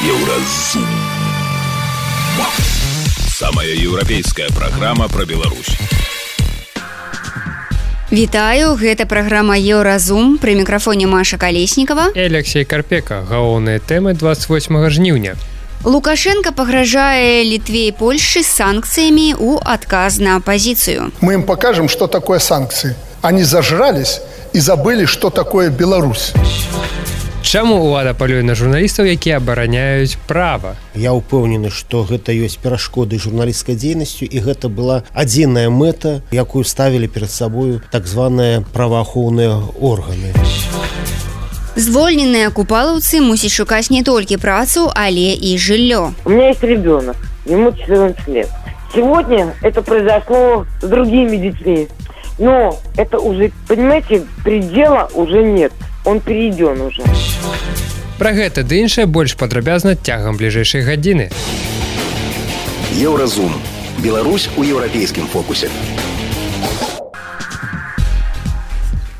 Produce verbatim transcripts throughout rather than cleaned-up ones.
Еўразум. Самая еўрапейская праграма пра Беларусь. Вітаю, гэта праграма Еўразум, пры мікрафоне Маша Калеснікава і Алексей Карпека. Галоўныя тэмы двадцать восьмага жніўня. Лукашенко пагражае Літве і Польшчы санкцыямі ў адказ на апозицию. Мы им покажем, что такое санкции. Они зажрались и забыли, что такое Беларусь. Чаму ўлада палюе на журналістаў, якія абараняюць права? Я ўпэўнены, што гэта ёсць перашкоды журналісцкай дзейнасцю, і гэта была адзіная мэта, якую ставілі перад сабою так званыя праваахоўныя органы. Звольненыя купалаўцы мусяць шукаць не толькі працу, але і жыллё. У меня есть ребенок, ему четырнадцать лет. Сегодня это произошло с другими детьми. Но это уже, понимаете, предела уже нет. Он перейден уже. Пра гэта ды іншае больш падрабязна цягам бліжэйшай гадзіны. Еўразум. Беларусь у еўрапейскім фокусе.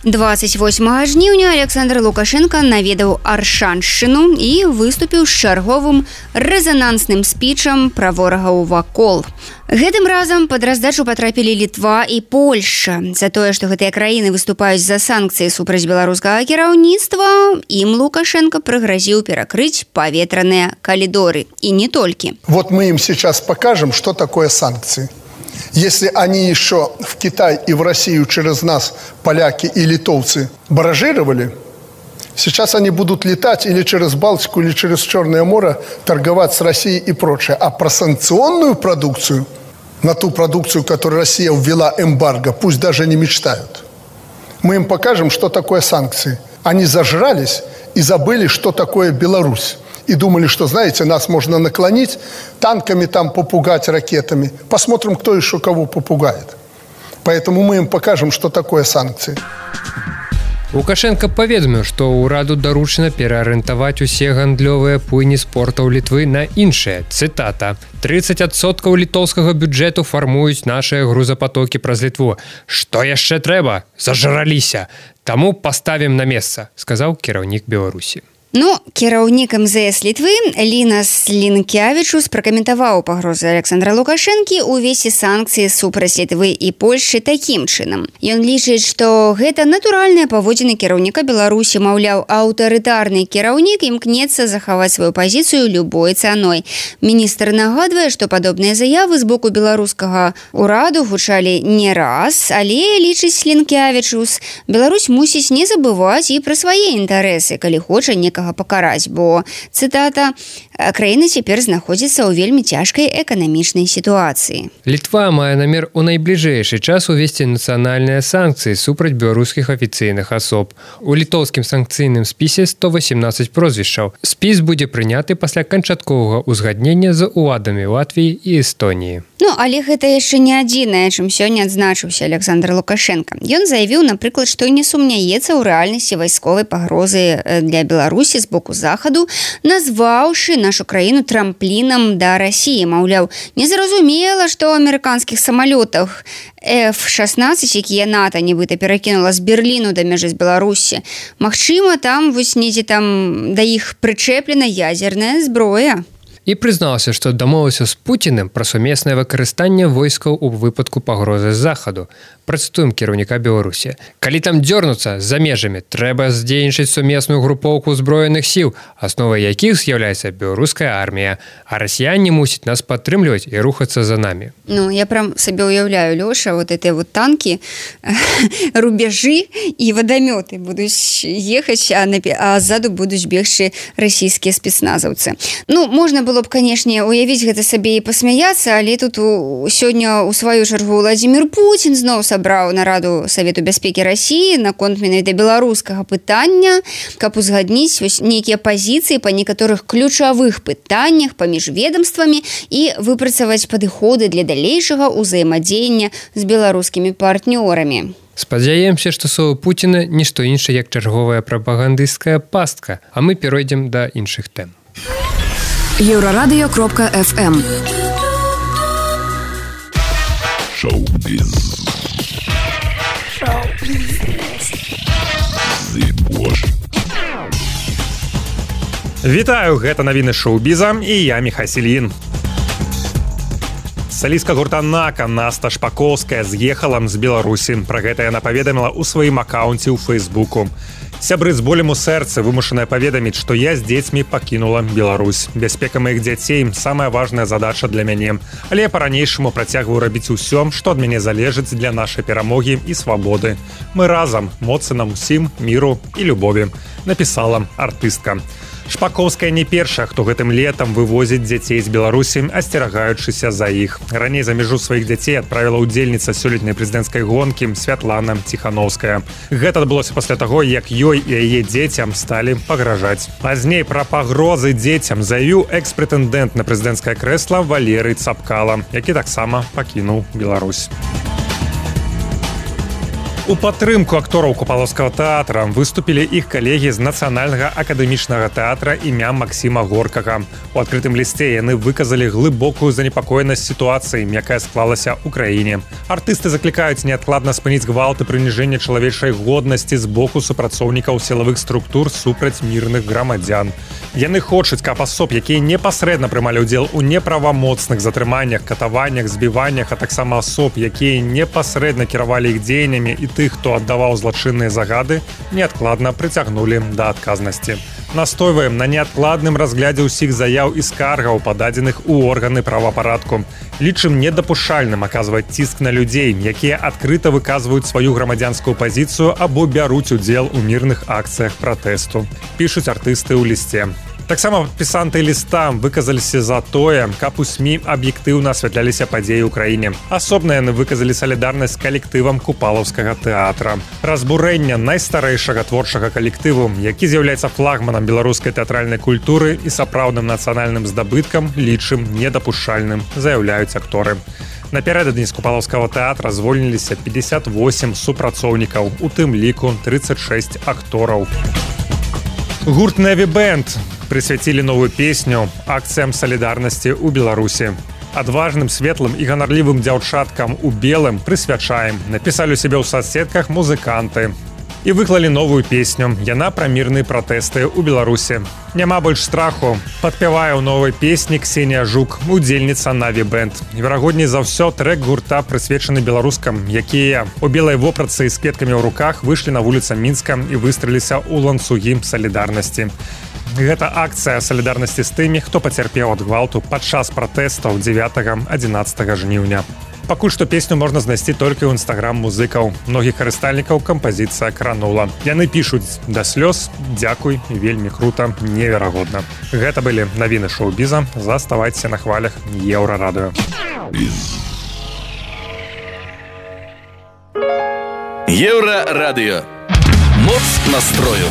двадцать восьмага жніўня Александр Лукашенко наведаў Аршаншчыну і выступіў з чарговым рэзанансным спічам пра ворагаў вакол. Гэтым разам пад раздачу патрапілі Літва і Польшча. За тое, што гэтыя краіны выступаюць за санкцыі супраць беларускага кіраўніцтва, ім Лукашенко прыгразіў перакрыць паветраныя калідоры. І не толькі. Вот мы им сейчас покажем, что такое санкции. Если они еще в Китай и в Россию через нас, поляки и литовцы, баражировали, сейчас они будут летать или через Балтику, или через Черное море, торговать с Россией и прочее. А про санкционную продукцию, на ту продукцию, которую Россия ввела эмбарго, пусть даже не мечтают. Мы им покажем, что такое санкции. Они зажрались и забыли, что такое Беларусь. И думали, что, знаете, нас можно наклонить, танками там попугать, ракетами. Посмотрим, кто еще кого попугает. Поэтому мы им покажем, что такое санкции. Лукашенко паведаміў, што ўраду даручана пераарыентаваць усе гандлёвыя пуйні спортаў Літвы на іншыя. Цытата. тридцать адсоткаў літоўскага бюджэту фармуюць нашыя грузапатокі праз Літву. Што яшчэ трэба? Зажраліся. Таму паставім на месца, сказаў кіраўнік Беларусі. Ну, кіраўнік эм зэ эс Літвы Лінас Лінкявічус пракаментаваў пагрозы Александра Лукашэнкі ўвесці санкцыі супраць Літвы і Польшчы такім чынам. Ён лічыць, што гэта натуральныя паводзіны кіраўніка Беларусі, маўляў, аўтарытарны кіраўнік імкнецца захаваць сваю пазіцыю любой цаной. Міністр нагадвае, што падобныя заявы з боку беларускага ўраду гучалі не раз, але, лічыць Лінкявічус, Беларусь мусіць не забываць і пра свае інтарэсы, калі хоча некага пакараць, бо, цытата, краіна цяпер знаходзіцца ў вельмі цяжкай эканамічнай сітуацыі. Літва мае намер у найбліжэйшы час увесці нацыянальныя санкцыі супраць беларускіх афіцыйных асоб. У літоўскім санкцыйным спісе сто васемнадцаць прозвішчаў. Спіс будзе прыняты пасля канчатковага ўзгаднення з уладамі Латвіі і Эстоніі. Ну, але гэта яшчэ не адзінае, чым сёння адзначыўся Александр Лукашенко. Ён заявіў, напрыклад, што не сумняецца ў рэальнасці вайсковай пагрозы для Беларусі з боку захаду, назваўшы нашу краіну трамплінам да Расіі. Маўляў, незразумела, што ў амерыканскіх самалётах эф шаснаццаць, якія НАТО нібыта перакінула з Берліну да мяжы з Беларусі, магчыма, там вось недзе там да іх прычэплена ядзерная зброя. І прызнаўся, што дамовіўся з Пуціним пра сумеснае выкарыстанне войскаў у выпадку пагрозы з захаду. Працытуем кіраўніка Беларусі. Калі там дзёрнуцца за межамі, трэба здзейнічаць сумесную групоўку ўзброеных сіл, асновай якіх з'яўляецца беларуская армія, а расіяне мусяць нас падтрымліваць і рухацца за намі. Ну, я прям сабе уяўляю, Лёша, вот эти вот танки, рубежы і вадамёты будуць ехаць, а, напі... а ззаду будуць бегчы расійскія спецназаўцы. Ну, можна было б, канешне, уявіць гэта сабе і пасмяяцца, але тут у... сёння у сваю чаргу Владзімір Пуцін зноў сабраў нараду Савету бяспекі Расіі наконт менавіта беларускага пытання, каб узгадніць нейкія пазіцыі па некаторых ключавых пытаннях паміж ведомствамі і выпрацаваць падыходы для далейшага ўзаемадзеяння з беларускімі партнёрамі. Спадзяемся, што словы Пуціна нішто іншае, як чарговая прапагандысцкая пастка, а мы перайдзем да іншых тэм. Еўрарадыё кропка эф эм. Шоу-біз. Шоу-біз. Вітаю, гэта навіны шоу-біза і я Міхась Ільін. Салістка гурта «Нака» Наста Шпаковская з'ехала з Беларусі. Пра гэта яна паведаміла ў сваім акаунце ў Фейсбуку. Сябры з болем у сэрцы вымушаная паведаміць, што я з дзецьмі пакінула Беларусь. Бяспека маіх дзяцей – самая важная задача для мяне. Але я па-ранейшаму працягваю рабіць усё, што ад мяне залежыць для нашай перамогі і свабоды. Мы разам, моцы нам усім, міру і любові, напісала артыстка. Шпаковская не першая, хто гэтым летам вывозіць дзяцей з Беларусі, асцерагаючыся за іх. Раней за мяжу сваіх дзяцей адправіла ўдзельніца сёлетняй прэзідэнцкай гонкі Святлана Ціхановская. Гэта адбылося пасля таго, як ёй і яе дзецям сталі пагражаць. Пазней пра пагрозы дзецям заявіў экс-прэтэндэнт на прэзідэнцкае крэсла Валерый Цапкала, які таксама пакінуў Беларусь. У падтрымку актораў Купалаўскага тэатра выступілі іх калегі з Нацыянальнага акадэмічнага тэатра імя Максіма Горкага. У адкрытым лісце яны выказалі глыбокую занепакоенасць сітуацыі, якая склалася ў краіне. Артысты заклікаюць неадкладна спыніць гвалт і прыніжэнне чалавечай годнасці з боку супрацоўнікаў сілавых структур супраць мірных грамадзян. Яны хочуць, каб асоб, якія непасрэдна прымалі ўдзел у неправамоцных затрыманнях, катаваннях, збіваннях, а таксама асоб, якія непасрэдна кіравалі іх дзеяннямі і тых, хто аддаваў злачынныя загады, неадкладна прыцягнулі да адказнасці. Настойваем на неадкладным разглядзе ўсіх заяў і скаргаў, пададзеных у органы правапарадку. Лічым недапушчальным аказваць ціск на людзей, якія адкрыта выказваюць сваю грамадзянскую пазіцыю або бяруць удзел у мірных акцыях пратэсту. Пішуць артысты ў лісце. Таксама падпісанты ліста выказаліся за тое, каб у СМІ аб'ектыўна асвятляліся падзеі ў краіне. Асобна яны выказалі салідарнасць з калектывам Купалаўскага тэатра. Разбурэнне найстарэйшага творчага калектыву, які з'яўляецца флагманам беларускай тэатральнай культуры і сапраўдным нацыянальным здабыткам, лічым недапушчальным, заяўляюць акторы. Напярэдадні з Купалаўскага тэатра звольніліся пятьдесят восемь супрацоўнікаў, у тым ліку тридцать шесть актораў. Гурт «Нэві Бэнд» прысвяцілі новую песню акцыям салідарнасці ў Беларусі. Адважным, светлым і ганарлівым дзяўчаткам у белым прысвячаем, напісалі у сябе ў соцсетках музыканты. І выклалі новую песню. Яна пра мірныя пратэсты ў Беларусі. Няма больш страху. Падпявае ў новай песні Ксенія Жук, удзельніца «Нэві Бэнд». Верагодней за ўсё трэк гурта прысвечаны беларускам, якія у белай вопратцы з кветкамі ў руках выйшлі на вуліцу Мінска і выстраліліся ў ланцугі салідарнасці. Гэта акцыя салідарнасці з тымі, хто пацярпеў ад гвалту падчас пратэстаў дзевятага-адзінаццатага жніўня. Пакуль што песню можна знайсці толькі ў інстаграм музыкаў. Многіх карыстальнікаў кампазіцыя кранула. Яны пішуць да слёз, дзякуй, вельмі крута, неверагодна. Гэта былі навіны шоу-біза. Заставайцеся на хвалях Еўрарадыё. Еўрарадыё. Моц настрою.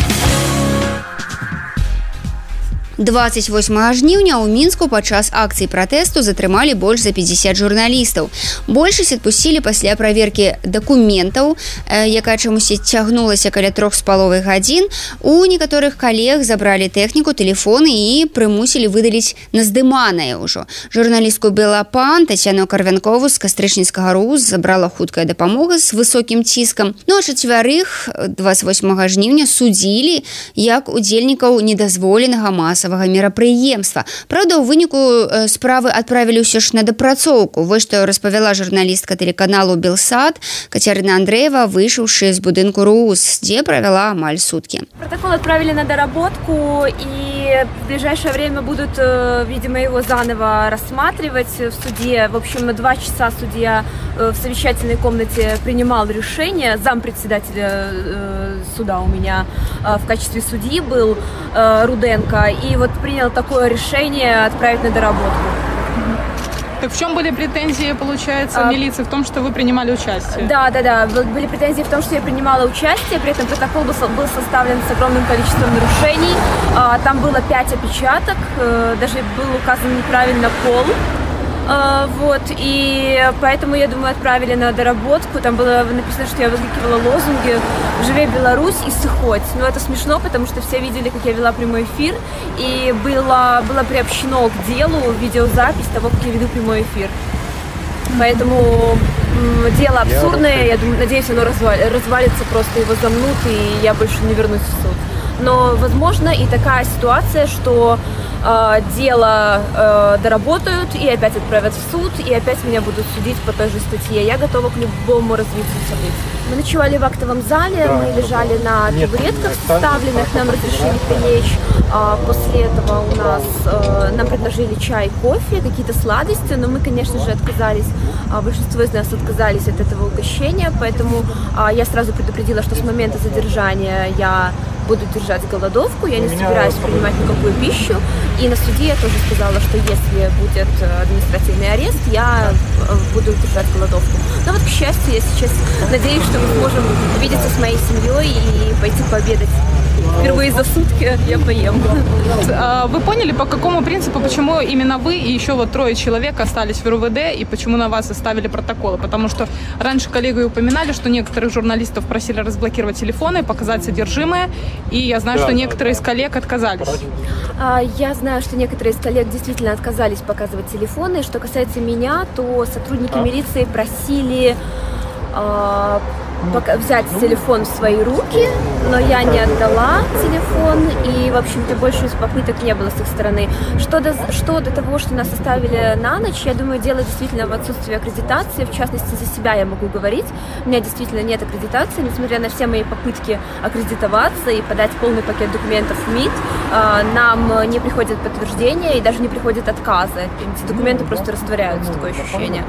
двадцать восьмага жніўня ў Мінску падчас акцыі пратэсту затрымалі больш за пятьдесят журналістаў. Большасць адпусцілі пасля праверкі дакументаў, якая чамусьці цягнулася каля трох з паловай гадзін. У некаторых калег забралі тэхніку, тэлефоны і прымусілі выдаліць наздыманае ўжо. Журналістку «Белапан» Тацяну Карвянкову з Кастрычніцкага РУС забрала хуткая дапамога з высокім ціскам. Ну а чацвярых двадцать восьмага жніўня судзілі як удзельнікаў недазволенага масавага мерапрыемства. Праўда, у выніку справы адправілі ўсё ж на дапрацоўку. Вось што распавяла журналістка тэлеканалу «Белсад» Кацярына Андреева, выйшаўшы з будынку РУС, дзе правяла амаль суткі. Протокол отправили на доработку, и в ближайшее время будут, видимо, его заново рассматривать в суде. В общем, два часа судья в совещательной комнате принимал решение. Зампредседателя суда у меня в качестве судьи был Руденко. И вот принял такое решение отправить на доработку. Так в чем были претензии, получается, а, милиции? В том, что вы принимали участие? Да, да, да. Были претензии в том, что я принимала участие. При этом протокол был, был составлен с огромным количеством нарушений. А, там было пять опечаток. Даже был указан неправильно пол. А, вот. И поэтому, я думаю, отправили на доработку. Там было написано, что я выкрикивала лозунги «Живе Беларусь» и «Сыхоть». Но это смешно, потому что все видели, как я вела прямой эфир. И было, было приобщено к делу видеозапись того, как я веду прямой эфир. Поэтому м, дело абсурдное. Я думаю, надеюсь, оно развалится, просто его замнут, и я больше не вернусь в суд. Но, возможно, и такая ситуация, что э, дело э, доработают и опять отправят в суд, и опять меня будут судить по той же статье. Я готова к любому развитию событий. Мы ночевали в актовом зале, да, мы лежали на табуретках составленных, нам разрешили прилечь. А после этого у нас э, нам предложили чай, кофе, какие-то сладости, но мы, конечно же, отказались. А большинство из нас отказались от этого угощения, поэтому а, я сразу предупредила, что с момента задержания я буду держать голодовку, я не собираюсь принимать никакую пищу. И на суде я тоже сказала, что если будет административный арест, я буду держать голодовку. Но вот, к счастью, я сейчас надеюсь, что мы сможем увидеться с моей семьей и пойти пообедать. Впервые за сутки я поем. Вы поняли, по какому принципу, почему именно вы и еще вот трое человек остались в РУВД, и почему на вас составили протоколы? Потому что раньше коллеги упоминали, что некоторых журналистов просили разблокировать телефоны, показать содержимое, и я знаю, что некоторые из коллег отказались. Я знаю, что некоторые из коллег действительно отказались показывать телефоны. Что касается меня, то сотрудники милиции просили взять телефон в свои руки, но я не отдала телефон, и, в общем-то, больше попыток не было с их стороны. Что до, что до того, что нас оставили на ночь, я думаю, дело действительно в отсутствии аккредитации, в частности, за себя я могу говорить. У меня действительно нет аккредитации, несмотря на все мои попытки аккредитоваться и подать полный пакет документов в МИД, нам не приходит подтверждение и даже не приходят отказы. Эти документы просто растворяются, такое ощущение.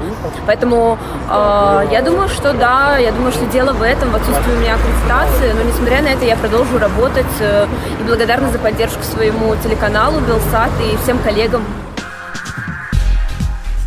Поэтому я думаю, что да, я думаю, что дело в этом, в отсутствии у меня аккредитации, но несмотря на это я продолжу работать и благодарна за поддержку своему телеканалу Белсат и всем коллегам.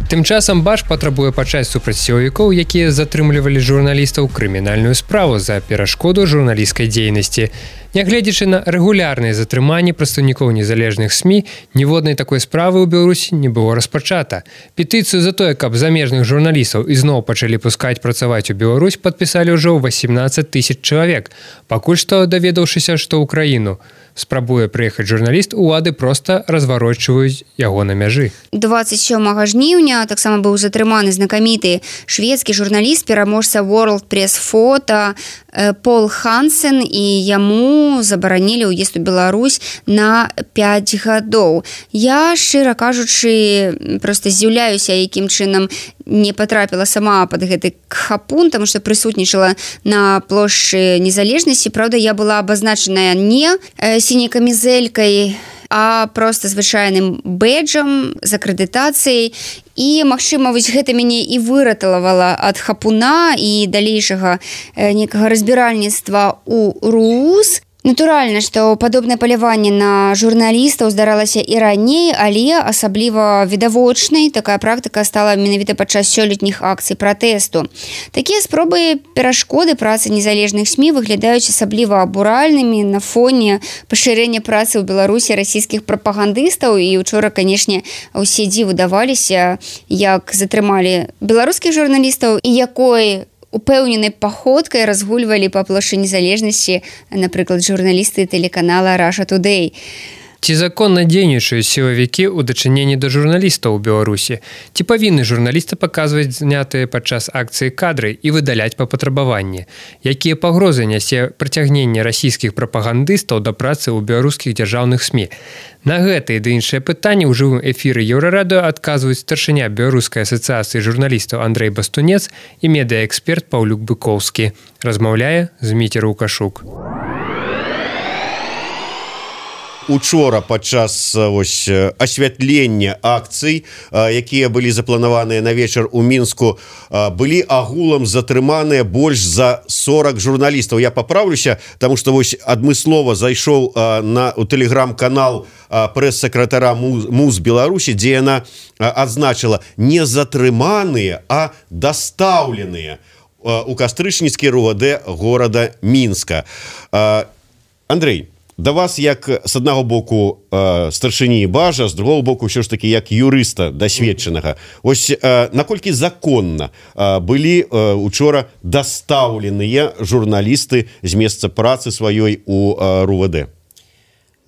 Тым часам Баш патрабуе пачаць супраць сілавікоў, якія затрымлівалі журналістаў, крымінальную справу за перашкоду журналісцкай дзейнасці. Нягледзячы на рэгулярныя затрыманні прадстаўнікоў незалежных СМІ, ніводнай такой справы ў Беларусі не было распачата. Петыцыю за тое, каб замежных журналістаў ізноў пачалі пускаць працаваць у Беларусь, падпісалі ўжо восемнадцать тысяч чалавек. Пакуль што, даведаўшыся, што ў краіну спрабуе прыехаць журналіст, улады проста разварочваюць яго на мяжы. двадцать сёмага жніўня таксама быў затрыманы знакаміты шведскі журналіст, пераможца World Press Photo Пол Хансен, і яму забаранілі ўезд у Беларусь на пять гадоў. Я, шчыра кажучы, проста здзіўляюся, якім чынам не потрапіла сама под гэты хапун, тому што прысутнічала на плошчы незалежнасці. Праўда, я была абазначаная не сіняй камізэлькай, а просто звычайным бэджам з акрэдытацыяй. І, магчыма, вось гэта мяне і выратавала ад хапуна і далейшага некага разбіральніцтва ў РУС. Натуральна, што падобнае паляванне на журналістаў здаралася і раней, але асабліва відавочнай такая практыка стала менавіта падчас сёлетніх акцый пратэсту. Такія спробы перашкоды працы незалежных СМІ выглядаюць асабліва абуральнымі на фоне пашырэння працы ў Беларусі расійскіх прапагандыстаў. І учора, канешне, усе дзіву даваліся, як затрымалі беларускіх журналістаў і якой упэўненай паходкай разгульвалі па плошчы незалежнасці, напрыклад, журналісты тэлеканала Russia Today. Ці законна дзейнічаюць сілавікі ў дачыненні да журналістаў у Беларусі? Ці павінны журналісты паказваць знятыя падчас акцыі кадры і выдаляць па патрабаванні? Якія пагрозы нясе прыцягненне расійскіх прапагандыстаў да працы ў беларускіх дзяржаўных СМІ? На гэтыя ды іншыя пытанні ў жывым эфіры Еўрарадыё адказваюць старшыня Беларускай асацыяцыі журналістаў Андрэй Бастунец і медыаэксперт Паўлюк Быкоўскі. Размаўляе Зміцер Лукашук. Учора падчас ось асвятлення акцый, якія былі запланаваныя на вечар у Мінску, былі агулам затрыманыя больш за сорок журналістаў. Я паправлюся, таму што вось адмыслова зайшоў на у тэлеграм-канал прэс-сакратара МУЗ Беларусі, дзе яна адзначыла не затрыманыя, а дастаўленыя у кастрычніцкі РУВД горада Мінска. Андрэй, да вас як з аднаго боку э, старшыні Бажа, з другого боку ўсё ж такі як юрыста дасведчанага. Ось э, наколькі законна э, былі э, учора дастаўленыя журналісты з месца працы сваёй у э, РУВД?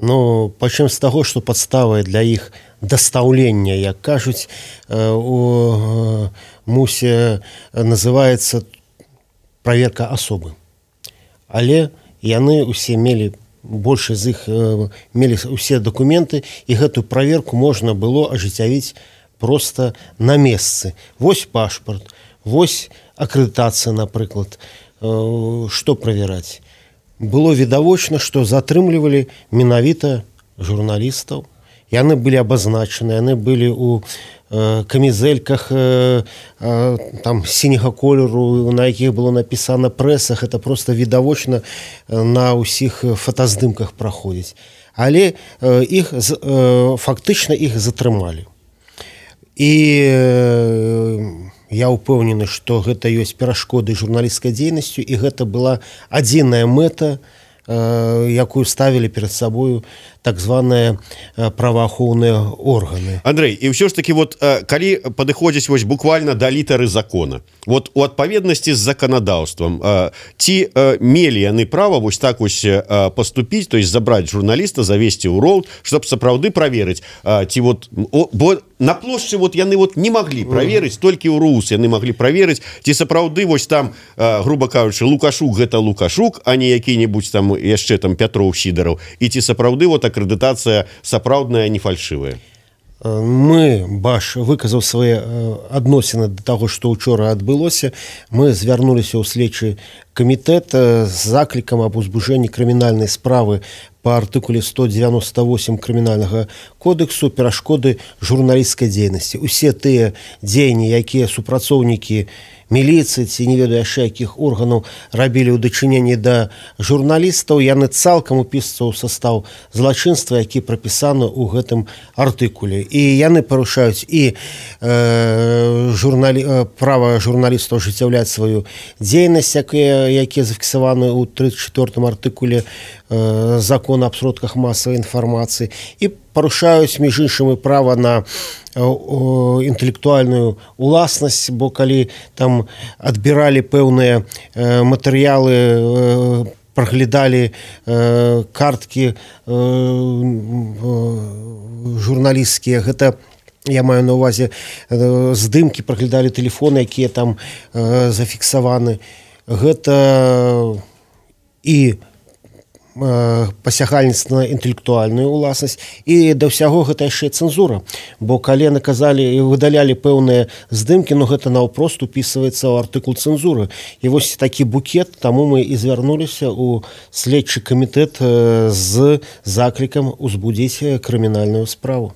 Ну, пачнём з таго, што падставай для іх дастаўлення, як кажуць, э, у э, МУСе называецца праверка асобы. Але яны ўсе мелі большасць з іх мелі усе дакументы, і гэтую праверку можна было ажыццявіць проста на месцы. Вось пашпарт, вось акрэдытацыя, напрыклад. Што правяраць? Было відавочна, што затрымлівалі менавіта журналістаў. Яны былі абазначаны, яны былі ў камізэльках там сіняга колеру, на якіх было напісана прэсах. Это проста відавочна на ўсіх фотаздымках праходзіць. Але іх фактычна іх затрымалі. І я ўпэўнены, што гэта ёсць перашкоды журналісцкай дзейнасцю, і гэта была адзіная мэта, якую ставілі перад сабою так званыя праваахоўныя органы. Андрей, і ўсё ж таки вот калі падыходзіць вось буквально да літары закона, вот у адпаведнасці з заканадаўствам, ці мелі яны права вось так вось поступіць, то есть забраць журналіста, завесці ў роўд, чтоб сапраўды праверыць, ці вот, бо на плошчы вот яны вот не маглі праверыць, толькі ў РУС яны маглі праверыць, ці сапраўды вось там, грубо кажучы, Лукашук гэта Лукашук, а не які-небудзь там яшчэ там Пятроў, Сідараў, і ці сапраўды вот акрэдытацыя сапраўдная, не фальшывая. Мы, Баш, выказаў свае адносіны да таго, што ўчора адбылося. Мы звярнуліся ў следчы камітэт з заклікам аб узбуджэнні крымінальнай справы па артыкуле сто девяносто восемь крымінальнага кодексу перашкоды журналісцкай дзейнасці. Усе тыя дзеянні, якія супрацоўнікі міліцыі ці не ведаю яшчэ якіх органаў рабілі ў дачыненні да журналістаў, яны цалкам упісваюцца ў састаў злачынства, які прапісаны ў гэтым артыкуле. І яны парушаюць і э, журналі... права журналістаў ажыццяўляць сваю дзейнасць, якія, якія зафіксаваны ў тридцать четвёртым артыкуле э, закона аб сродках масавай інфармацыі, і парушаюць, між іншым, і права на інтэлектуальную уласнасць, бо калі там адбіралі пэўныя матэрыялы, праглядалі карткі журналісцкія, гэта я маю на ўвазе здымкі, праглядалі тэлефоны, якія там зафіксаваны. Гэта і пасягальніцтва на інтэлектуальную уласнасць, і да ўсяго гэта яшчэ цэнзура, бо калі наказалі і выдалялі пэўныя здымкі, ну гэта наўпрост упісваецца ў артыкул цэнзуры. І вось такі букет, таму мы і звярнуліся ў следчы камітэт з заклікам узбудзіць крымінальную справу.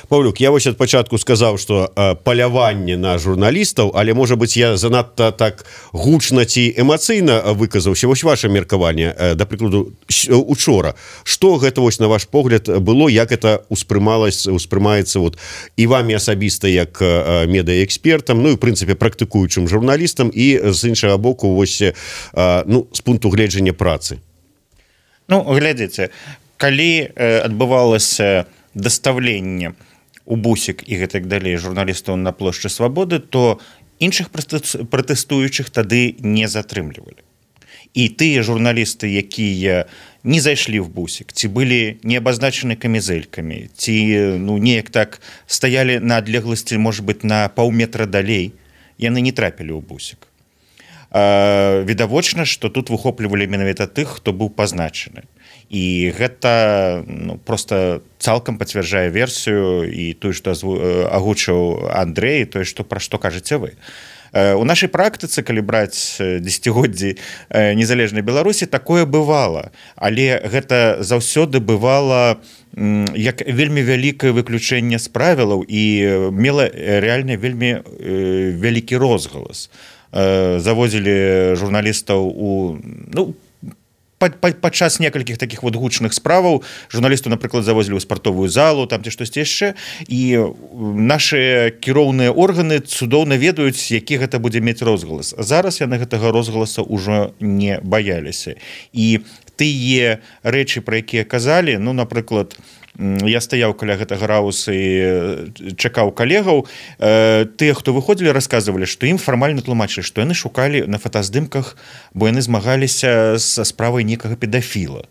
Паўлюк, я вось ад пачатку сказаў, што э, паляванне на журналістаў, але, можа быць, я занадта так гучна ці эмацыйна выказаўся. Вось ваше меркаванне, э, да прыкладу, учора. Што гэта, вось, на ваш погляд, было, як это успрымалось, успрымаецца вот, і вамі асабіста як э, медыаэкспертам, ну і, в прынцыпе, практыкуючым журналістам, і з іншага боку, вось, э, ну, з пункту гледжання працы? Ну, глядзіце, калі э, адбывалася дастаўленне у бусік і гэтак далей журналістаў на плошчы Свабоды, то іншых пратэстуючых тады не затрымлівалі. І тыя журналісты, якія не зайшлі в бусік, ці былі не абазначаны камізэлькамі, ці ну, неяк так стаялі на адлегласці, можа быць, на паўметра далей, яны не трапілі ў бусік. Э, відавочна, што тут выхоплівалі менавіта тых, хто быў пазначаны. І гэта ну, просто цалкам пацвярджае версію і тое, што агучыў Андрэй, тое, што пра што кажаце вы. У нашай практыцы, калі браць дзесяцігоддзі незалежнай Беларусі, такое бывала, але гэта заўсёды бывала як вельмі вялікае выключэнне з правілаў і мела рэальна вельмі вялікі розгалас. Завозілі журналістаў у ну, падчас некалькіх такіх вот гучных справаў журналісту, напрыклад, завозілі ў спартовую залу, там ці штосьці яшчэ, і нашы кіроўныя органы цудоўна ведаюць, які гэта будзе мець розгалас. Зараз яны гэтага розгаласа ўжо не баяліся. І тыя рэчы, пра якія казалі, ну, напрыклад, я стаяў каля гэтага рауса і чакаў калегаў, тыя, хто выходзілі, расказвалі, што ім фармальна тлумачылі, што яны шукалі на фотаздымках, бо яны змагаліся са справай некага педафіла.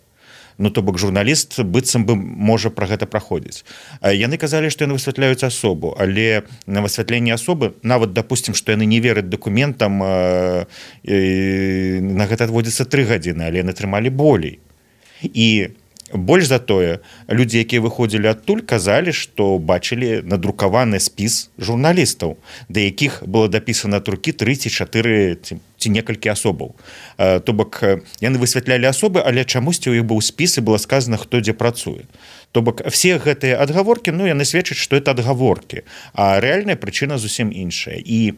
Ну, то бок журналіст быццам бы можа пра гэта праходзіць. Яны казалі, што яны высвятляюць асобу, але на высвятленне асобы, нават, допустим, што яны не вераць дакументам, на гэта адводзіцца тры гадзіны, але яны трымалі болей. і больш за тое, людзі, якія выходзілі адтуль, казалі, што бачылі надрукаваны спіс журналістаў, да якіх было дапісана от рукі тры ці чатыры ці, ці некалькі асобаў. То бок, яны высвятлялі асобы, але чамусьці ў іх быў спіс і было сказана, хто дзе працуе. То бок, все гэтыя адгаворкі, ну, яны сведчаць, што это адгаворкі, а рэальная прычына зусім іншая. І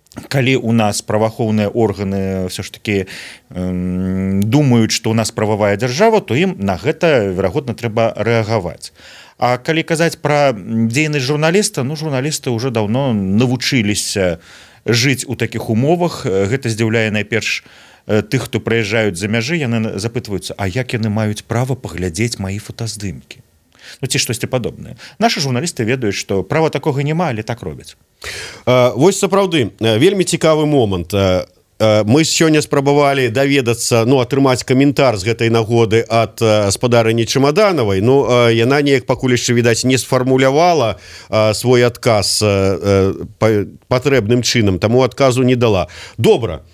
калі у нас праваахоўныя органы все ж таки э, думаюць, што у нас прававая дзяржава, то ім на гэта верагодна трэба рэагаваць. А калі казаць пра дзейнасць журналіста, ну журналісты ўжо даўно навучыліся жыць у такіх умовах. Гэта здзіўляе найперш тых, хто прыязджаюць за мяжы, яны запытваюцца, а як яны маюць права паглядзець маі фотаздымкі? Ну ці штосьці падобнае. Нашы журналісты ведаюць, што права такога няма, але так робяць. А, вось сапраўды вельмі цікавы момант. Мы сёння спрабавалі даведацца, ну, атрымаць каментар з гэтай нагоды ад гаспадарыні Чамаданавай. Ну, яна неяк пакуль яшчэ, відаць, не сфармулявала свой адказ патрэбным чынам, таму адказу не дала. Добра.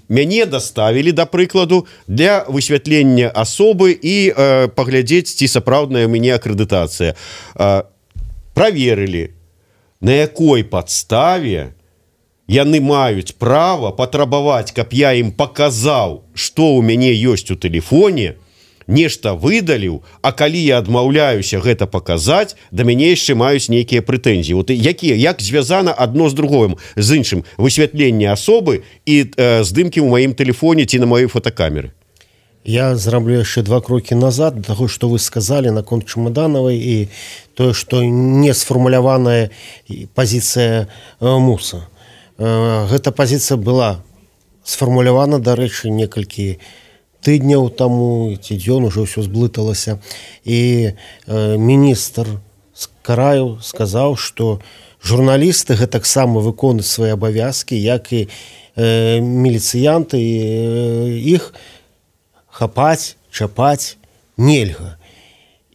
Мяне даставілі, да прыкладу, для высвятлення асобы і э, паглядзець, ці сапраўдная ў мяне акрэдытацыя. Э, праверылі, на якой падставе яны маюць права патрабаваць, каб я ім паказаў, што ў мяне ёсць у тэлефоне, нешта выдаліў, а калі я адмаўляюся гэта паказаць, да мяне яшчэ маюць нейкія прэтэнзіі. Вот якія, як звязана адно з другим, з іншым, высвятленне асобы і э, здымкі ў маім тэлефоне ці на маёй фотокамеры? Я зраблю яшчэ два крокі назад да таго, што вы сказалі наконт Чамаданавай і тое, што не сфармуляваная пазіцыя э, МУСа. Э, гэта пазіцыя была сфармулявана, дарэчы, некалькі тыдняў таму, ці дзён ужо ўсё зблыталася. І э, міністр з краю сказаў, што журналісты гэтаксама выконваюць свае абавязкі, як і э, міліцыянты, і э, іх хапаць, чапаць нельга.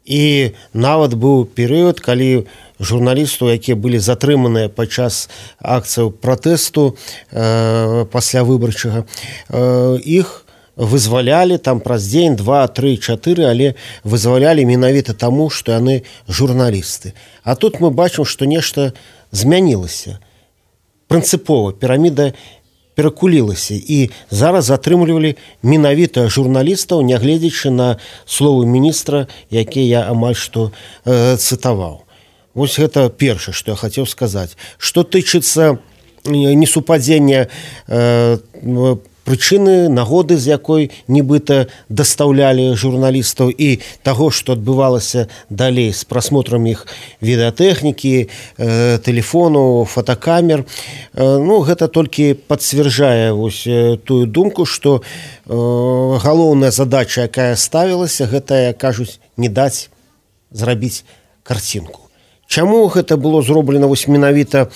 І нават быў перыяд, калі журналістаў, якія былі затрыманыя падчас акцыяў пратэсту э, пасля выбарчага, э, іх вызвалялі там праз дзень, два, тры, чатыры, але вызвалялі менавіта таму, што яны журналісты. А тут мы бачым, што нешта змянілася. Прынцыпова піраміда перакулілася, і зараз затрымлівалі менавіта журналістаў, нягледзячы на словы міністра, якія я амаль што э, цытаваў. Вось гэта першае, што я хацеў сказаць. Што тычыцца несупадзення э, прычыны, нагоды, з якой нібыта дастаўлялі журналістаў, і таго, што адбывалася далей з прасмотрам іх відэатэхнікі, э, тэлефону, фотокамер. Э, ну, гэта толькі пацвярджае вось э, тую думку, што э, галоўная задача, якая ставілася, гэта, кажуць, не даць зрабіць карцінку. Чаму гэта было зроблена вось менавіта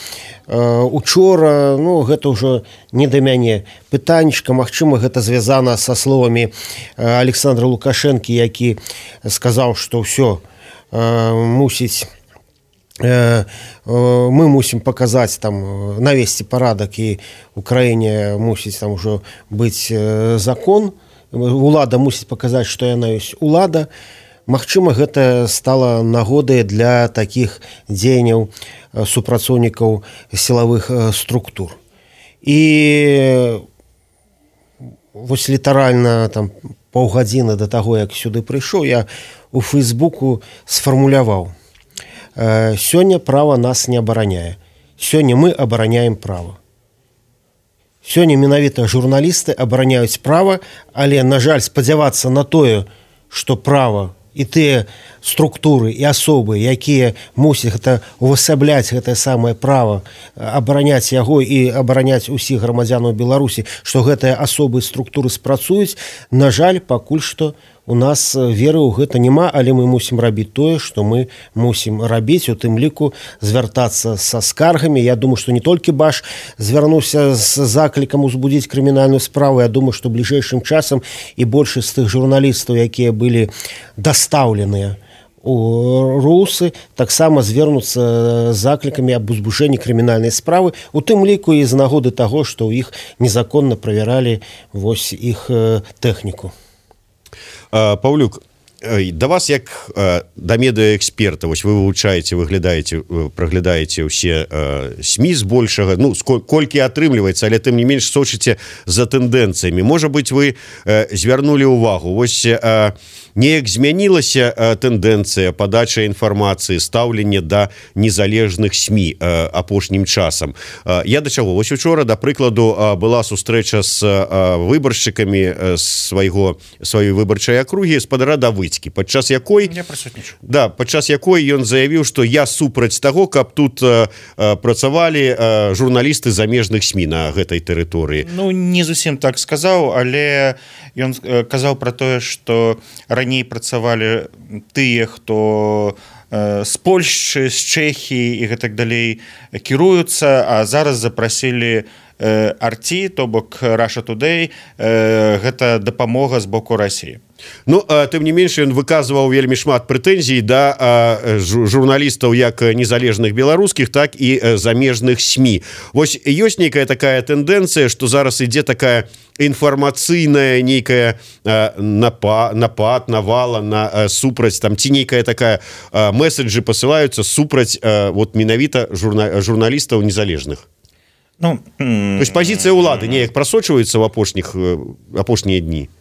э, учора, ну, гэта ўжо не да мяне пытанечка. Магчыма, гэта звязана са словамі э, Александра Лукашэнкі, які сказаў, што ўсё э, мусіць э, э, мы мусім паказаць там, навесці парадак, і ў краіне мусіць там ужо быць э, закон, улада мусіць паказаць, што яна ёсць улада. Магчыма, гэта стала нагодай для такіх дзеянняў супрацоўнікаў сілавых структур. І вось літаральна там паўгадзіны да таго, як сюды прыйшоў, я у Фейсбуку сфармуляваў: сёння права нас не абараняе. Сёння мы абараняем права. Сёння менавіта журналісты абараняюць права, але, на жаль, спадзявацца на тое, што права і тыя структуры і асобы, якія мусяць гэта увасабляць гэтае самае права, абараняць яго і абараняць усіх грамадзянаў Беларусі, што гэтыя асобы і структуры спрацуюць, на жаль, пакуль што у нас веры ў гэта няма, але мы мусім рабіць тое, што мы мусім рабіць, у тым ліку звяртацца са скаргамі. Я думаю, што не толькі Баш звярнуўся з заклікам узбудзіць крымінальную справу. Я думаю, што бліжэйшым часам і большасць з тых журналістаў, якія былі дастаўленыя у русы, таксама звернуцца з заклікамі аб узбуджэнні крымінальнай справы, у тым ліку і з нагоды таго, што ў іх незаконна правяралі вось іх тэхніку. Паўлюк, да вас як да медыаэксперта, вось вы вывучаеце, выглядаеце, праглядаеце ўсе СМІ збольшага, ну колькі атрымліваецца, але тым не менш сочыце за тэндэнцыямі. Можа быць, вы звярнулі ўвагу, вось неяк змянілася тэндэнцыя падачы інфармацыі, стаўленне да незалежных СМІ апошнім часам. Я да чаго? Вось учора, да прыкладу, была сустрэча з выбаршчыкамі свайго сваёй выбарчай акругі спадара Давыдзькі, падчас якой да, падчас якой ён заявіў, што я супраць таго, каб тут э, працавалі э, журналісты замежных СМІ на гэтай тэрыторыі. Ну не зусім так сказаў, але ён казаў пра тое, што раней працавалі тыя, хто з Польшчы, з Чэхіі і гэтак далей кіруюцца, а зараз запрасілі Арці, то бок Russia Today, гэта дапамога з боку Расіі. Ну, тым не менш, ён выказваў вельмі шмат прэтэнзій да журналістаў як незалежных беларускіх, так і замежных СМІ. Вось ёсць нейкая такая тэндэнцыя, што зараз ідзе такая інфармацыйная нейкая напад, напад навала на супраць, там, ці нейкая такая месседжы пасылаюцца супраць вот менавіта журна, журналістаў незалежных. Ну, то есть пазіцыя ўлады неяк прасочваецца ў апошніх апошнія дні.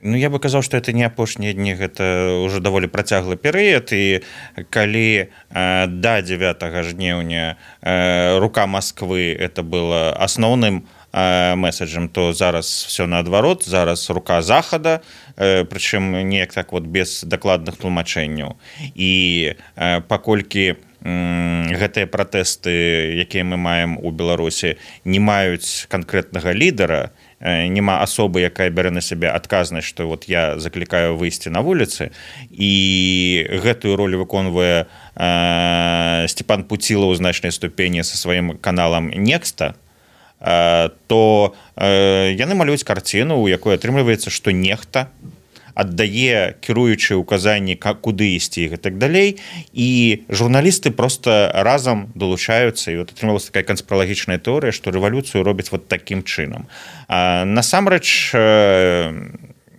Ну, я бы казаў, што это не апошнія дні, гэта ўжо даволі працяглы перыяд, і калі э, да дзевятага жніўня э, рука Масквы это было асноўным э, месседжам, то зараз все наадварот, зараз рука Захада, э, прычым неяк так вот без дакладных тлумачэнняў. І э, паколькі гэтыя пратэсты, якія мы маем у Беларусі, не маюць канкрэтнага лідара, няма асобы, якая бярэ на сябе адказнасць, што вот я заклікаю выйсці на вуліцы, і гэтую ролю выконвае э, Степан Пуцілаў у значнай ступені са сваім каналам Некста, э, то э, яны малююць карціну, у якой атрымліваецца, што нехта аддае кіруючыя указанні, куды ісці і так далей, і журналісты просто разам долучаюцца, і вот атрымалася такая канспіралагічная тэорыя, што рэвалюцыю робяць вот такім чынам. А насамрэч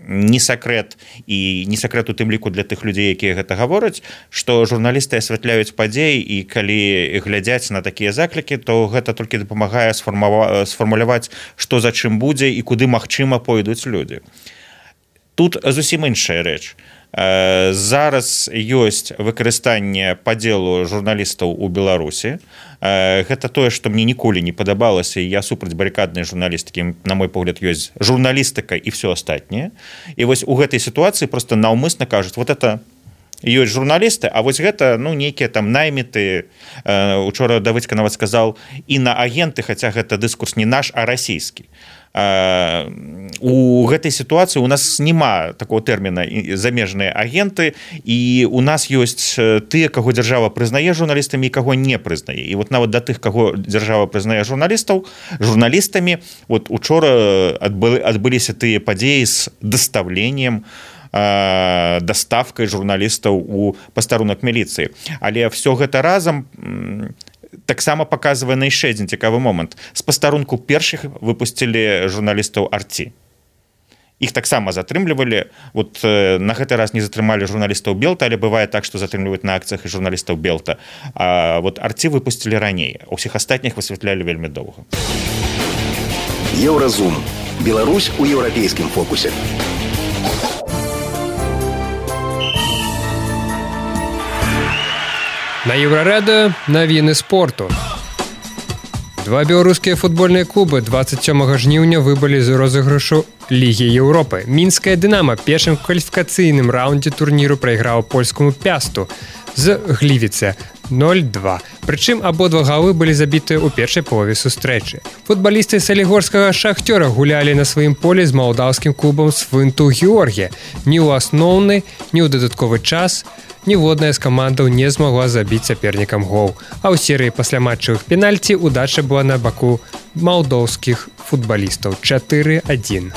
не сакрэт, і не сакрэт у тым ліку для тых людзей, якія гэта гавораць, што журналісты асвятляюць падзеі, і калі глядзяць на такія заклікі, то гэта толькі дапамагае сфармуляваць, што за чым будзе і куды магчыма пойдуць людзі. Тут зусім іншая рэч. Зараз ёсць выкарыстанне падзелу журналістаў у Беларусі. Гэта тое, што мне ніколі не падабалася, і я супраць барыкаднай журналістыкі, на мой погляд, ёсць журналістыка і все астатняе. І вось у гэтай сітуацыі проста наўмысна кажуць, вот это ёсць журналісты, а вось гэта, ну, нейкія там найміты. Учора Давыдзька нават сказаў, інаагенты, хаця гэта дыскурс не наш, а расійскі. У гэтай сітуацыі у нас няма такого тэрміна замежныя агенты, і у нас ёсць тыя, каго дзяржава прызнае журналістамі і каго не прызнае. І вот нават да тых, каго дзяржава прызнае журналістаў, журналістамі, вот учора адбыліся тыя падзеі з дастаўленнем, даставкай журналістаў у пастарунак міліцыі. Але все гэта разам таксама паказвае на яшчэ адзін цікавы момант. З пастарунку першых выпусцілі журналістаў Арці. Іх таксама затрымлівалі. Вот на гэты раз не затрымалі журналістаў Белта, але бывае так, што затрымліваюць на акцыях і журналістаў Белта. А вот Арці выпусцілі раней. А ўсіх астатніх высвятлялі вельмі доўга. Еўразум. Беларусь у еўрапейскім фокусе. На Еўрарадыё навіны спорту. Два беларускія футбольныя клубы двадцать сёмага жніўня выбылі з розыгрышу Лігі Еўропы. Мінская «Дынама» першым кваліфікацыйным раўндзе турніру прайграў польскаму «Пясту» з Глівіце ноль два. Прычым абодва галы былі забітыя ў першай палове сустрэчы. Футбалісты салігорскага «Шахцёра» гулялі на сваім полі з малдаўскім клубам «Свинту Георгія». Ні ў асноўны, ні ў дадатковы час ніводная з камандаў не змагла забіць сапернікам гол. А ў серыі пасляматчавых пенальці удача была на баку малдоўскіх футбалістаў чатыры адзін.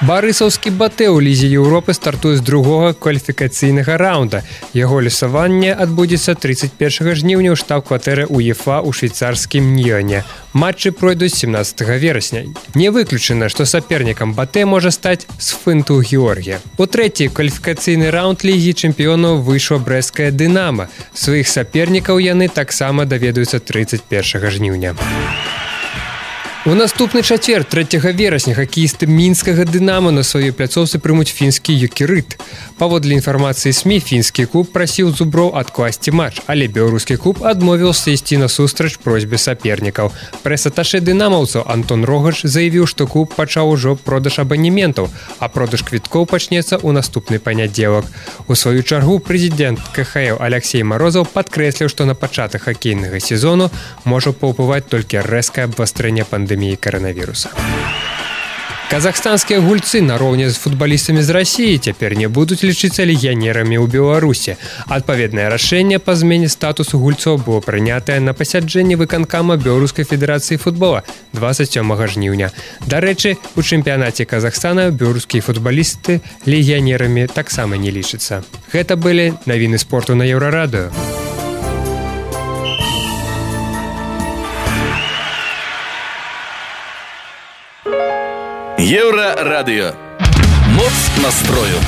Барысаўскі батэ ў лізе Еўропы стартуе з другога кваліфікацыйнага раунда. Яго лёсаванне адбудзецца тридцать первого жніўня ў штаб-кватэры УЕФА ў швейцарскім Ньёне. Матчы пройдуць семнадцатого верасня. Не выключана, што сапернікам батэ можа стаць Сфынту Георгія. У трэці кваліфікацыйны раунд лігі чэмпіёнаў выйшла брэсцкая Дынама. Сваіх сапернікаў яны таксама даведаюцца тридцать первого жніўня. У наступны чацвер трэцяга верасня хакеісты мінскага Дынама на сваёй пляцоўцы прымуць фінскі Юкерит. Паводле інфармацыі СМІ, фінскі клуб прасіў зуброў адкласці матч, але беларускі клуб адмовіўся ісці насустрач просьбе сапернікаў. Прэс-аташэ дынамаўцаў Антон Рогач заявіў, што клуб пачаў ужо продаж абанементаў, а продаж квіткоў пачнецца ў наступны панядзелак. У сваю чаргу прэзідэнт КХЛ Алексей Морозов падкрэсліў, што на пачатак хакейнага сезону можа паўплываць толькі рэзкае абвастрэнне пандэміі коронавируса. Казахстанскія гульцы нароўні з футбалістамі з Расіі цяпер не будуць лічыцца легіянерамі ў Беларусі. Адпаведнае рашэнне па змене статусу гульцоў было прынятае на пасяджэнні выканкама Беларускай федэрацыі футбола двадцать сёмага жніўня. Дарэчы, у чэмпіянаце Казахстана беларускія футбалісты легіянерамі таксама не лічацца. Гэта былі навіны спорту на Еўрарадыё. Еўрарадыё. Моц настрою.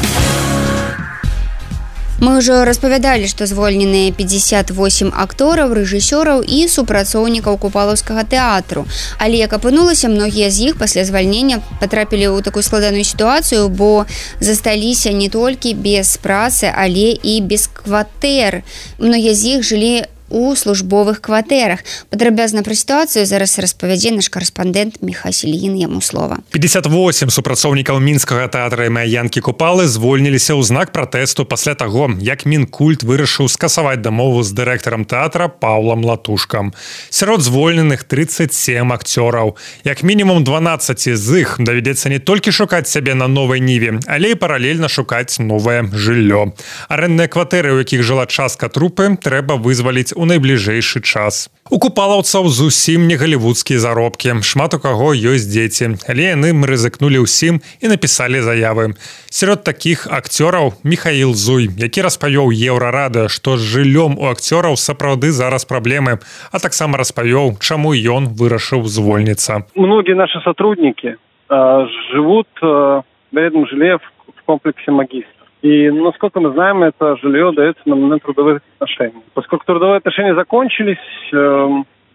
Мы ўжо распавядалі, што звольненыя пятьдесят восемь актораў, рэжысёраў і супрацоўнікаў купалаўскага тэатру. Але, як апынулася, многія з іх пасля звальнення патрапілі ў такую складаную сітуацыю, бо засталіся не толькі без працы, але і без кватэр. Многія з іх жылі у службовых кватэрах. Падрабязна пра сітуацыю зараз распавядзе наш карэспандэнт Міхась Ільін, яму слова. пятьдесят восемь супрацоўнікаў мінскага тэатра імя Янкі Купалы звольніліся ў знак пратэсту пасля таго, як Мінкульт вырашыў скасаваць дамову з дырэктарам тэатра Паўлам Латушкам. Сярод звольненых тридцать семь акцёраў. Як мінімум дванаццаць з іх давядзецца не толькі шукаць сябе на новай ніве, але і паралельна шукаць новае жыллё. Арэндныя кватэры, у якіх жыла частка трупы, трэба вызваліць у найбліжэйшы час. У купалаўцаў зусім не галівудскія заробкі. Шмат у каго ёсць дзеці, але яны рызыкнулі ўсім і напісалі заявы. Сярод такіх акцёраў Михаил Зуй, які распавёў Еўрарадыё, што з жыллём у акцёраў сапраўды зараз праблемы, а таксама распавёў, чаму ён вырашыў звольніцца. Многие наши сотрудники э, живут э, в этом жилье в комплексе «Магистр». И, насколько мы знаем, это жилье дается на момент трудовых отношений. Поскольку трудовые отношения закончились, э,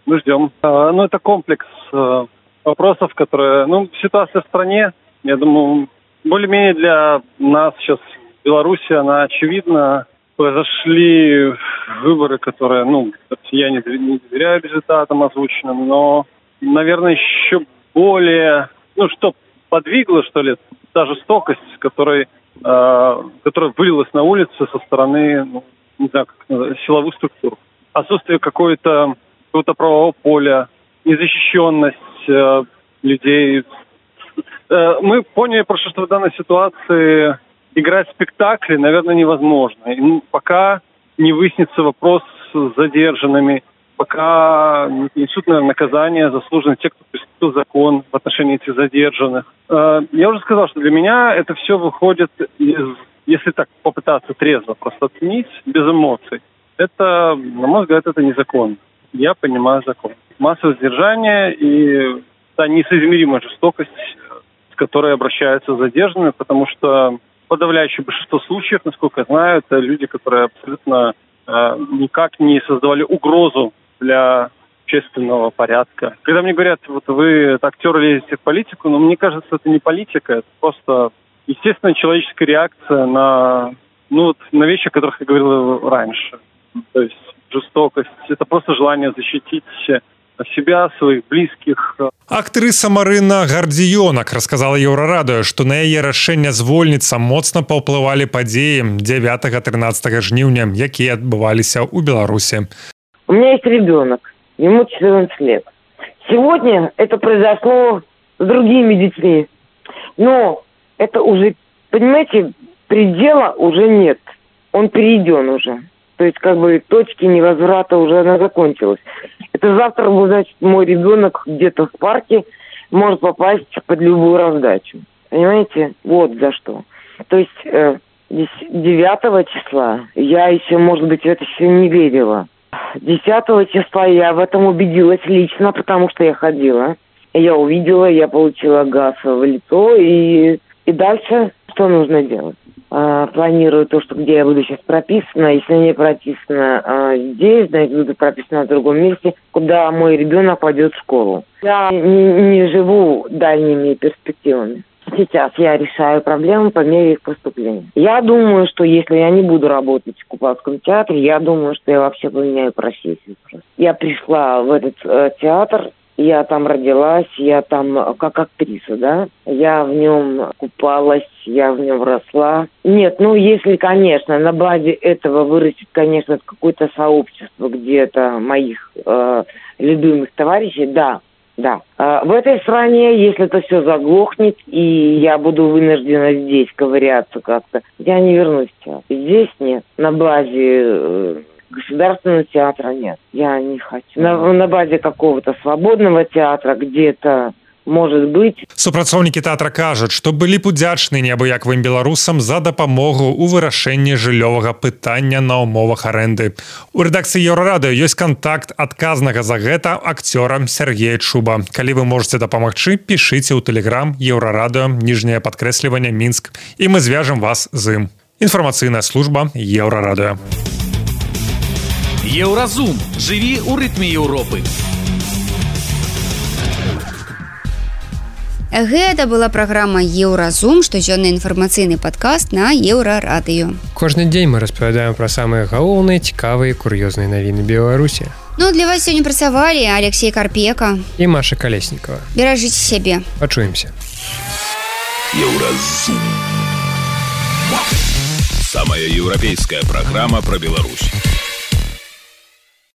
мы ждем. Э, ну, это комплекс э, вопросов, которые... Ну, ситуация в стране, я думаю, более-менее для нас сейчас в Беларуси, она очевидна. Произошли выборы, которые, ну, я не доверяю результатам озвученным, но, наверное, еще более... Ну, что подвигло, что ли, та жестокость, с которой... которая вылилась на улице со стороны, ну, не знаю, как называется, силовых структур. Отсутствие какой-то, какого-то правового поля, незащищенность э, людей. Э, мы поняли просто, что в данной ситуации играть спектакли, наверное, невозможно. И, ну, пока не выяснится вопрос с задержанными, пока не несут, наверное, наказание заслуженные те, кто преступил закон в отношении этих задержанных. Я уже сказал, что для меня это все выходит из, если так попытаться трезво просто оценить, без эмоций. Это, на мой взгляд, это незаконно. Я понимаю закон. Массовое сдержание и та несоизмеримая жестокость, с которой обращаются задержанные, потому что подавляющее большинство случаев, насколько я знаю, это люди, которые абсолютно э, никак не создавали угрозу для общественного порядка. Когда мне говорят, вот вы актер лезете в политику, но мне кажется, это не политика, это просто естественная человеческая реакция на, ну, вот, на вещи, о которых я говорил раньше. То есть жестокость, это просто желание защитить себя, своих близких. Актрыса Марына Гардзіёнак расказала Еўрарадыё, што на яе рашэнне звольніцца моцна паўплывалі падзеі дзевятага-трынаццатага жніўня, якія адбываліся ў Беларусі. У меня есть ребенок, ему четырнадцать лет. Сегодня это произошло с другими детьми. Но это уже, понимаете, предела уже нет. Он перейден уже. То есть, как бы, точки невозврата уже она закончилась. Это завтра, значит, мой ребенок где-то в парке может попасть под любую раздачу. Понимаете? Вот за что. То есть э, девятого числа я еще, может быть, в это все не верила. десятого числа я в этом убедилась лично, потому что я ходила. Я увидела, я получила газ в лицо, и, и дальше что нужно делать? А, планирую то, что где я буду сейчас прописана. Если не прописана а, здесь, значит, буду прописана в другом месте, куда мой ребенок пойдет в школу. Я не, не живу дальними перспективами. Сейчас я решаю проблемы по мере их поступления. Я думаю, что если я не буду работать в Купавском театре, я думаю, что я вообще поменяю профессию. Я пришла в этот э, театр, я там родилась, я там как актриса, да. Я в нем купалась, я в нем росла. Нет, ну если, конечно, на базе этого вырастет, конечно, какое-то сообщество где-то моих э, любимых товарищей, да. Да. А в этой стране, если это все заглохнет, и я буду вынуждена здесь ковыряться как-то, я не вернусь в театр. Здесь нет. На базе э, государственного театра нет. Я не хочу. На, на базе какого-то свободного театра где-то, может быть. Супрацоўнікі тэатра кажуць, што былі б удзячны неабыякавым беларусам за дапамогу ў вырашэнні жыллёвага пытання на ўмовах арэнды. У рэдакцыі Еўрарадыё ёсць кантакт адказнага за гэта акцёра Сергея Чуба. Калі вы можаце дапамагчы, пішыце ў тэлеграм Еўрарадыё, ніжняе падкрэсліванне Мінск, і мы звяжам вас з ім. Інфармацыйная служба Еўрарадыё. Еўразум. Жыві ў рытме Еўропы. Гэта была праграма Еўразум, штодзённы інфармацыйны падкаст на Еўрарадыё. Кожны дзень мы распавядаем пра самыя галоўныя, цікавыя, кур'ёзныя навіны Беларусі. Ну, для вас сёння працавалі Алексей Карпека і Маша Калеснікова. Беражыце сябе. Пачуемся. Еўразум. Самая еўрапейская праграма пра Беларусь.